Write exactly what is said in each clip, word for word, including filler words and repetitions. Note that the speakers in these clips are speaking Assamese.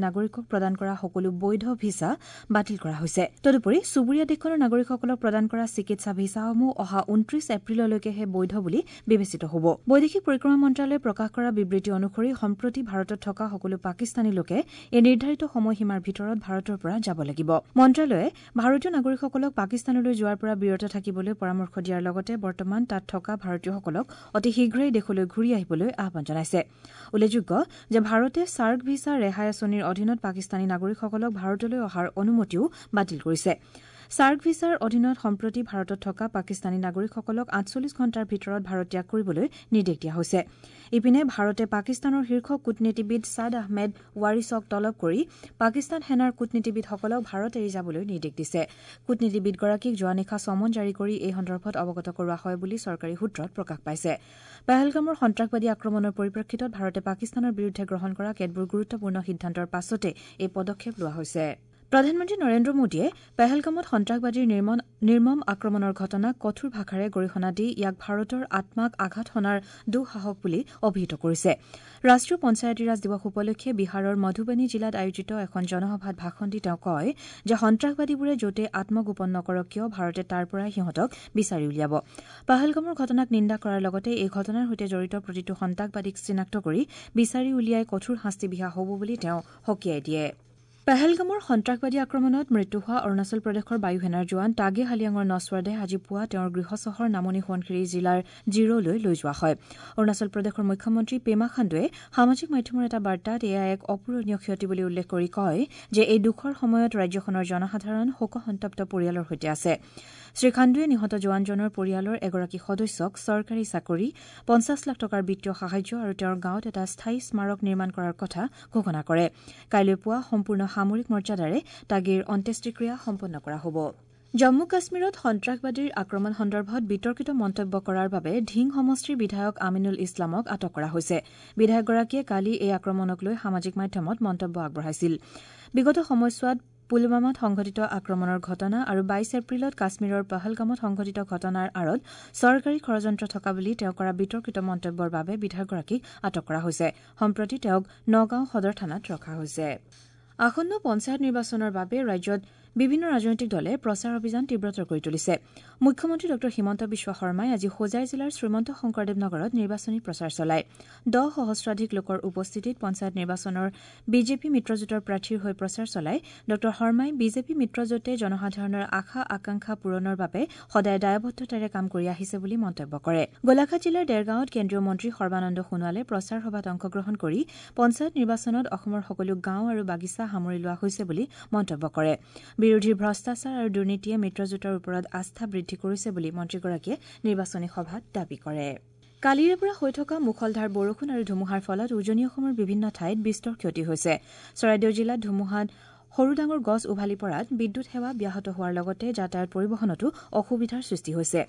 নাগৰিকক প্ৰদান কৰা সকলো বৈধ ভিছা বাতিল কৰা হৈছে। তদুপৰি চুবুৰীয়া দেশখনৰ নাগৰিকসকলক প্ৰদান কৰা চিকিৎসা ভিছাসমূহ অহা ঊনত্ৰিশ এপ্ৰিললৈকেহে বৈধ বুলি বিবেচিত হ'ব। বৈদেশিক পৰিক্ৰমা মন্ত্ৰালয়ে প্ৰকাশ কৰা বিবৃতি অনুসৰি সম্প্ৰতি ভাৰতত থকা সকলো পাকিস্তানী লোকে এই নিৰ্ধাৰিত সময়সীমাৰ ভিতৰত ভাৰতৰ পৰা যাব লাগিব। মন্ত্ৰালয়ে ভাৰতীয় নাগৰিকসকলক পাকিস্তানলৈ যোৱাৰ পৰা বিৰত থাকিবলৈ পৰামৰ্শ দিয়াৰ লগতে বৰ্তমান তাত থকা ভাৰতীয়সকলক অতি শীঘ্ৰেই দেশলৈ ঘূৰি আহিবলৈ আহ্বান জনাইছে। উল্লেখযোগ্য যে ভাৰতে ছাৰ্ক ভিছা ৰেহাই আঁচনিৰ অধীনত পাকিস্তানী নাগৰিকসকলক ভাৰতলৈ অহাৰ অনুমতিও বাতিল কৰিছে। ছাৰ্ক ভিছাৰ অধীনত সম্প্ৰতি ভাৰতত থকা পাকিস্তানী নাগৰিকসকলক আঠচল্লিছ ঘণ্টাৰ ভিতৰত ভাৰত ত্যাগ কৰিবলৈ নিৰ্দেশ দিয়া হৈছে। ইপিনে ভাৰতে পাকিস্তানৰ শীৰ্ষ কূটনীতিবিদ ছাদ আহমেদ ৱাৰিছক তলব কৰি পাকিস্তান সেনাৰ কূটনীতিবিদসকলক ভাৰত এৰি যাবলৈ নিৰ্দেশ দিছে। কূটনীতিবিদগৰাকীক যোৱা নিশা চমন জাৰি কৰি এই সন্দৰ্ভত অৱগত কৰোৱা হয় বুলি চৰকাৰী সূত্ৰত প্ৰকাশ পাইছে। পেহেলগামৰ সন্ত্ৰাসবাদী আক্ৰমণৰ পৰিপ্ৰেক্ষিতত ভাৰতে পাকিস্তানৰ বিৰুদ্ধে গ্ৰহণ কৰা কেতবোৰ গুৰুত্বপূৰ্ণ সিদ্ধান্তৰ পাছতে এই পদক্ষেপ লোৱা হৈছে। প্ৰধানমন্ত্ৰী নৰেন্দ্ৰ মোদীয়ে পেহেলগামত সন্ত্ৰাসবাদীৰ নিৰ্মম আক্ৰমণৰ ঘটনাক কঠোৰ ভাষাৰে গৰিহণা দি ইয়াক ভাৰতৰ আত্মাক আঘাত হনাৰ দুঃসাহস বুলি অভিহিত কৰিছে। ৰাষ্ট্ৰীয় পঞ্চায়তীৰাজ দিৱস উপলক্ষে বিহাৰৰ মধুবনী জিলাত আয়োজিত এখন জনসভাত ভাষণ দি তেওঁ কয় যে সন্ত্ৰাসবাদীবোৰে য'তে আত্মগোপন নকৰক কিয় ভাৰতে তাৰ পৰাই সিহঁতক বিচাৰি উলিয়াব। পেহেলগামৰ ঘটনাক নিন্দা কৰাৰ লগতে এই ঘটনাৰ সৈতে জড়িত প্ৰতিটো সন্ত্ৰাসবাদীক চিনাক্ত কৰি বিচাৰি উলিয়াই কঠোৰ শাস্তি বিহা হ'ব বুলি তেওঁ সকীয়াই দিয়ে। পেহেলগামৰ সন্ত্ৰাসবাদী আক্ৰমণত মৃত্যু হোৱা অৰুণাচল প্ৰদেশৰ বায়ুসেনাৰ জোৱান টাগে হালিয়াঙৰ নশ্বৰ দেহ আজি পুৱা তেওঁৰ গৃহ চহৰ নামনি সোৱণশিৰি জিলাৰ জিৰ'লৈ লৈ যোৱা হয়। অৰুণাচল প্ৰদেশৰ মুখ্যমন্ত্ৰী পেমা খাণ্ডুৱে সামাজিক মাধ্যমৰ এটা বাৰ্তাত এয়া এক অপূৰণীয় ক্ষতি বুলি উল্লেখ কৰি কয় যে এই দুখৰ সময়ত ৰাজ্যখনৰ জনসাধাৰণ শোকসন্তপ্ত পৰিয়ালৰ সৈতে আছে। শ্ৰীখাণ্ডুৱে নিহত জোৱানজনৰ পৰিয়ালৰ এগৰাকী সদস্যক চৰকাৰী চাকৰি, পঞ্চাছ লাখ টকাৰ বিত্তীয় সাহায্য আৰু তেওঁৰ গাঁৱত এটা স্থায়ী স্মাৰক নিৰ্মাণ কৰাৰ কথা ঘোষণা কৰে। কাইলৈ পুৱা সম্পূৰ্ণ সামৰিক মৰ্যাদাৰে টাগেৰ অন্ত্যেষ্টিক্ৰিয়া সম্পন্ন কৰা হ'ব। জম্মু কাশ্মীৰত সন্ত্ৰাসবাদীৰ আক্ৰমণ সন্দৰ্ভত বিতৰ্কিত মন্তব্য কৰাৰ বাবে ঢিং সমষ্টিৰ বিধায়ক আমিনুল ইছলামক আটক কৰা হৈছে। বিধায়কগৰাকীয়ে কালি এই আক্ৰমণক লৈ সামাজিক মাধ্যমত মন্তব্য আগবঢ়াইছিল। বিগত সময়ছোৱাত পুলৱামাত সংঘটিত আক্ৰমণৰ ঘটনা আৰু বাইছ এপ্ৰিলত কাশ্মীৰৰ পহলগামত সংঘটিত ঘটনাৰ আঁৰত চৰকাৰী ষড়যন্ত্ৰ থকা বুলি তেওঁ কৰা বিতৰ্কিত মন্তব্যৰ বাবে বিধায়কগৰাকীক আটক কৰা হৈছে। সম্প্ৰতি তেওঁক নগাঁও সদৰ থানাত ৰখা হৈছে। আসন্ন পঞ্চায়ত নিৰ্বাচনৰ বাবে ৰাজ্যত বিভিন্ন ৰাজনৈতিক দলে প্ৰচাৰ অভিযান তীব্ৰতৰ কৰি তুলিছে। মুখ্যমন্ত্ৰী ডঃ হিমন্ত বিশ্ব শৰ্মাই আজি হোজাই জিলাৰ শ্ৰীমন্ত শংকৰদেৱ নগৰত নিৰ্বাচনী প্ৰচাৰ চলায়। দহ সহস্ৰাধিক লোকৰ উপস্থিতিত পঞ্চায়ত নিৰ্বাচনৰ বিজেপি মিত্ৰজোঁটৰ প্ৰাৰ্থীৰ হৈ প্ৰচাৰ চলাই ডঃ শৰ্মাই বিজেপি মিত্ৰজোঁটে জনসাধাৰণৰ আশা আকাংক্ষা পূৰণৰ বাবে সদায় দায়বদ্ধতাৰে কাম কৰি আহিছে বুলি মন্তব্য কৰে। গোলাঘাট জিলাৰ দেৰগাঁৱত কেন্দ্ৰীয় মন্ত্ৰী সৰ্বানন্দ সোণোৱালে প্ৰচাৰ সভাত অংশগ্ৰহণ কৰি পঞ্চায়ত নিৰ্বাচনত অসমৰ সকলো গাঁও আৰু বাগিচা সামৰি লোৱা হৈছে বুলি মন্তব্য কৰে। বিৰোধীৰ ভ্ৰষ্টাচাৰ আৰু দুৰ্নীতিয়ে মিত্ৰজোঁটৰ ওপৰত আস্থা বৃদ্ধি কৰিছে বুলি মন্ত্ৰীগৰাকীয়ে নিৰ্বাচনী সভাত দাবী কৰে। কালিৰে পৰা হৈ থকা মুষলধাৰ বৰষুণ আৰু ধুমুহাৰ ফলত উজনি অসমৰ বিভিন্ন ঠাইত বিস্তৰ ক্ষতি হৈছে। চৰাইদেউ জিলাত ধুমুহাত সৰু ডাঙৰ গছ উভালি পৰাত বিদ্যুৎ সেৱা ব্যাহত হোৱাৰ লগতে যাতায়াত পৰিবহণতো অসুবিধাৰ সৃষ্টি হৈছে।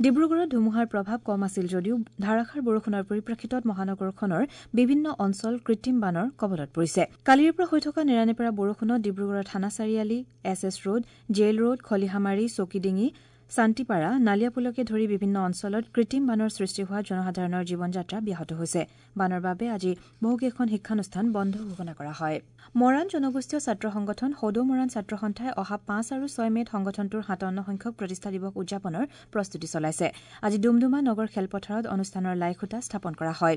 ডিব্ৰুগড়ত ধুমুহাৰ প্ৰভাৱ কম আছিল যদিও ধাৰাসাৰ বৰষুণৰ পৰিপ্ৰেক্ষিতত মহানগৰখনৰ বিভিন্ন অঞ্চল কৃত্ৰিম বানৰ কবলত পৰিছে। কালিৰে পৰা হৈ থকা নেৰানেপেৰা বৰষুণত ডিব্ৰুগড়ৰ থানা চাৰিআলি, S S road, jail road, Khalihamari, Chowkidinghee, Santipara, নালিয়াপুলকে ধৰি বিভিন্ন অঞ্চলত কৃত্ৰিম বানৰ সৃষ্টি হোৱাত জনসাধাৰণৰ জীৱন যাত্ৰা ব্যাহত হৈছে। বানৰ বাবে আজি বহুকেইখন শিক্ষানুষ্ঠান বন্ধ ঘোষণা কৰা হয়। মৰাণ জনগোষ্ঠীয় ছাত্ৰ সংগঠন সদৌ মৰাণ ছাত্ৰ সন্থাই অহা পাঁচ আৰু ছয় মে'ত সংগঠনটোৰ সাতাৱন্ন সংখ্যক প্ৰতিষ্ঠা দিৱস উদযাপনৰ প্ৰস্তুতি চলাইছে। আজি ডুমডুমা নগৰ খেলপথাৰত অনুষ্ঠানৰ লাইখুঁটা স্থাপন কৰা হয়।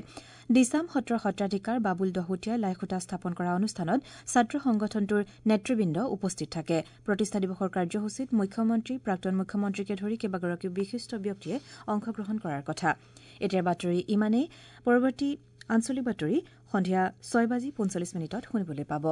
দিচাম সত্ৰৰ সত্ৰাধিকাৰ বাবুল দহোটীয়াই লাইখুঁটা স্থাপন কৰা অনুষ্ঠানত ছাত্ৰ সংগঠনটোৰ নেতৃবৃন্দ উপস্থিত থাকে। প্ৰতিষ্ঠা দিৱসৰ কাৰ্যসূচীত মুখ্যমন্ত্ৰী, প্ৰাক্তন মুখ্যমন্ত্ৰীকে ধৰি কেইবাগৰাকীও বিশিষ্ট ব্যক্তিয়ে অংশগ্ৰহণ কৰাৰ কথা। এতিয়াৰ বাতৰি ইমানেই। পৰৱৰ্তী আঞ্চলিক বাতৰি সন্ধিয়া ছয় বাজি পঞ্চল্লিছ মিনিটত শুনিবলৈ পাব।